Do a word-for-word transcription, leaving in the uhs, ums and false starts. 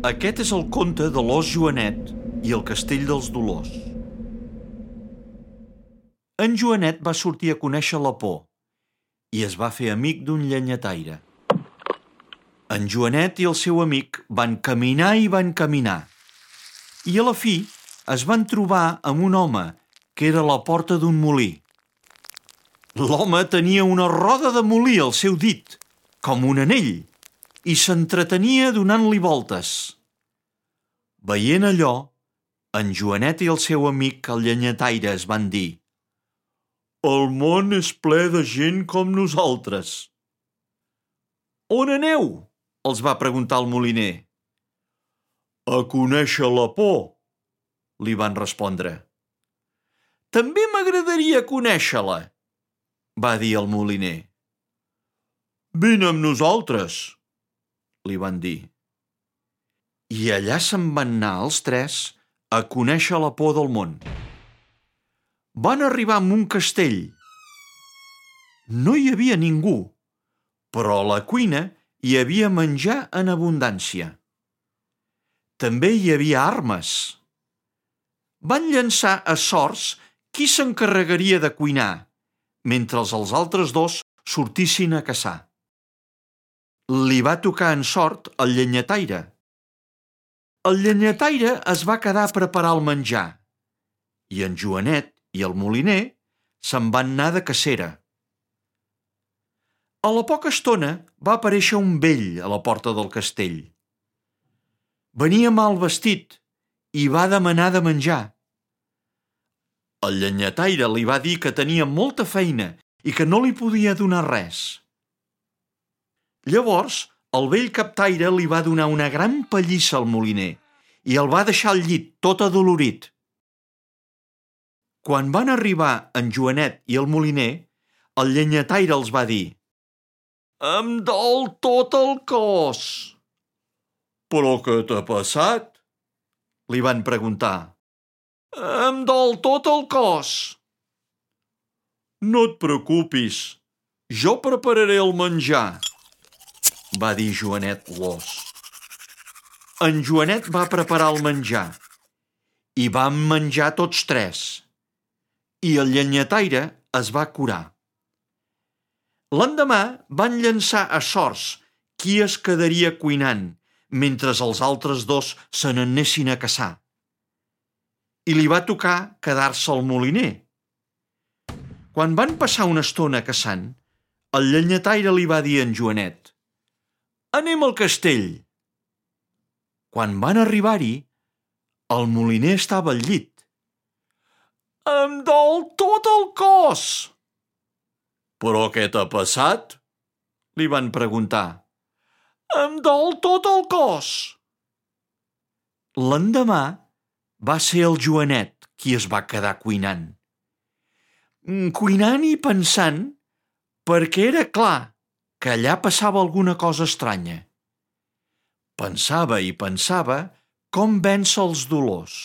Aquest és el conte de l'ós Joanet i el castell dels dolors. En Joanet va sortir a conèixer la por i es va fer amic d'un llenyataire. En Joanet i el seu amic van caminar i van caminar i a la fi es van trobar amb un home que era a la porta d'un molí. L'home tenia una roda de molí al seu dit, com un anell, i s'entretenia donant-li voltes. Veient allò, en Joanet i el seu amic el llenyataire es van dir: «El món és ple de gent com nosaltres». «On aneu?», els va preguntar el moliner. «A conèixer la por», li van respondre. «També m'agradaria conèixer-la», va dir el moliner. «Vine amb nosaltres», li van dir. I allà se'n van anar els tres a conèixer la por del món. Van arribar a un castell. No hi havia ningú, però a la cuina hi havia menjar en abundància. També hi havia armes. Van llançar a sorts qui s'encarregaria de cuinar, mentre els altres dos sortissin a caçar. Li va tocar en sort el llenyataire. El llenyataire es va quedar a preparar el menjar i en Joanet i el moliner se'n van anar de cacera. A la poca estona va aparèixer un vell a la porta del castell. Venia mal vestit i va demanar de menjar. El llenyataire li va dir que tenia molta feina i que no li podia donar res. Llavors, el vell captaire li va donar una gran pallissa al moliner i el va deixar al llit tot adolorit. Quan van arribar en Joanet i el moliner, el llenyataire els va dir: «Em dol tot el cos». «Però què t'ha passat?», li van preguntar. «Em dol tot el cos». «No et preocupis, jo prepararé el menjar», va dir Joanet l'ós. En Joanet va preparar el menjar i vam menjar tots tres i el llenyataire es va curar. L'endemà van llançar a sorts qui es quedaria cuinant mentre els altres dos se n'anessin a caçar. I li va tocar quedar-se al moliner. Quan van passar una estona caçant, el llenyataire li va dir a en Joanet: «Anem al castell». Quan van arribar-hi, el moliner estava al llit. «Em dol tot el cos». «Però què t'ha passat?», li van preguntar. «Em dol tot el cos». L'endemà va ser el Joanet qui es va quedar cuinant. Cuinant i pensant, perquè era clar que allà passava alguna cosa estranya. Pensava i pensava com vèncer els dolors.